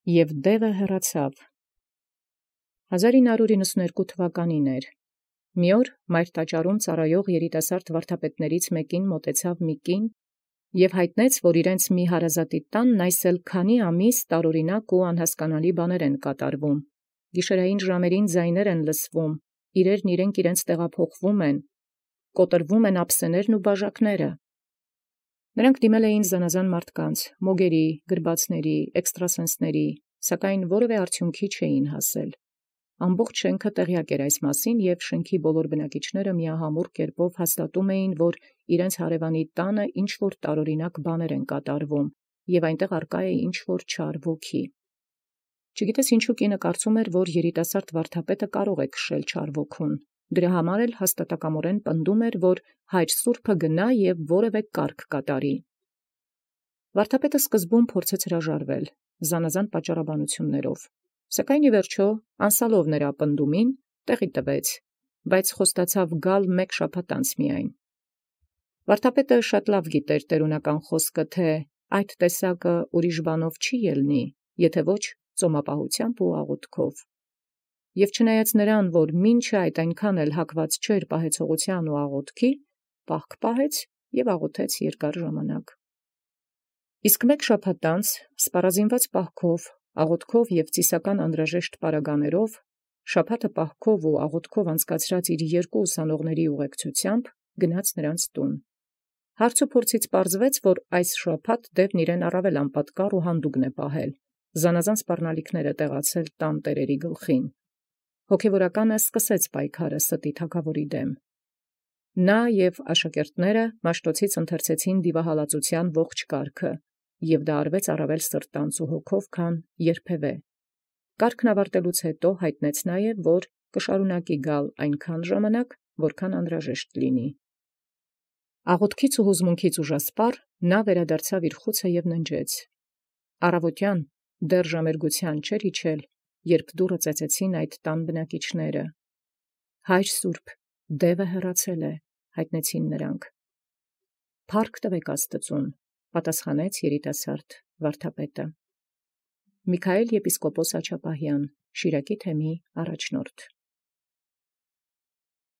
Եւ դևը հեռացավ։ 1992 թվականին էր։ Մի օր մայր տաճարում ծառայող երիտասարդ վարդապետաց մեկին մոտեցավ մի կին եւ յայտնեց, որ իրենց մի հարազատի տանն այսել քանի ամիս տարօրինակ ու անհասկանալի բաներ են կատարվում։ Գիշերային ժամերին ձայներ են լսվում, իրերն իրենց տեղափոխվում են, կոտրվում են ափսեներն ու բաժակները։ Նրանք դիմել էին զանազան մարդկանց, մոգերի, գրբացների, էքստրասենսների, սակայն որևէ արդյունքի չէին հասել։ Ամբողջ շենքը տեղյակ էր այս մասին, եւ շենքի բոլոր բնակիչները միահամուռ կերպով հաստատում էին, որ իրենց հարևանի տանը ինչ որ տարօրինակ բաներ են կատարվում, եւ այնտեղ արկա է ինչ որ չար ոգի։ Չգիտես ինչու կինը կարծում էր, որ երիտասարդ վարդապետը կարող է քշել չար ոգուն։ Դրա համար էլ հաստատակամորեն պնդում էր, որ հայր սուրբը գնա եւ որևէ կարգ կատարի։ Վարդապետը սկզբում փորձեց հրաժարվել, զանազան պատճառաբանություններով, սակայն ի վերջո, անսալով նրա պնդումին, տեղի տվեց, բայց խոստացավ գալ մեկ շաբաթ անց միայն։ Վարդապետը շատ լավ գիտեր տերունական խոսքը, թե այդ տեսակը ուրիշ բանով չի ելնի, եթե ոչ ծոմապահությամբ ու աղոթքով։ Եւ չնայած նրան, որ մինչև այդ այնքան էլ հակված չէր պահեցողության ու աղոթքի, պահք պահեց եւ աղոթեց երկար ժամանակ։ Իսկ մեկ շաբաթ անց, սպառազինված պահքով, աղոթքով եւ ծիսական անհրաժեշտ պարագաներով, շաբաթը պահքով ու աղոթքով անցկացրած իր երկու ուսանողների ուղեկցությամբ գնաց նրանց տուն։ Հարց ու փորձից պարզվեց, որ այս շաբաթ դեպն իրեն առավել անպատկառ ու հանդուգն է պահել, զանազան սպառնալիքներ է տեղացել տան տերերի գլխին։ Հոգևորականը սկսեց պայքարը ստի թագաւորի դեմ։ Նա եւ աշակերտները Մաշտոցից ընթերցեցին դիվահալածության ողջ կարգը, եւ դա արվեց առավել սրտանց ու հոգով, քան երբևէ։ Կարգն ավարտելուց հետո հայտնեց նաեւ, որ կշարունակի գալ այնքան ժամանակ, որքան անհրաժեշտ լինի։ Աղոթքից ու հուզմունքից ուժասպառ նա վերադարձավ իր խուցը եւ ննջեց։ Առավոտյան դեռ ժամերգութեան չէր իջել, երբ դուռը ծեծեցին այդ տան բնակիչները։ Հայր սուրբ, դևը հեռացել է, հայտնեցին նրանք։ Փառք տվեք Աստծուն, պատասխանեց երիտասարդ վարդապետը։ Միքայել եպիսկոպոս Աչապահյան, Շիրակի թեմի առաջնորդ։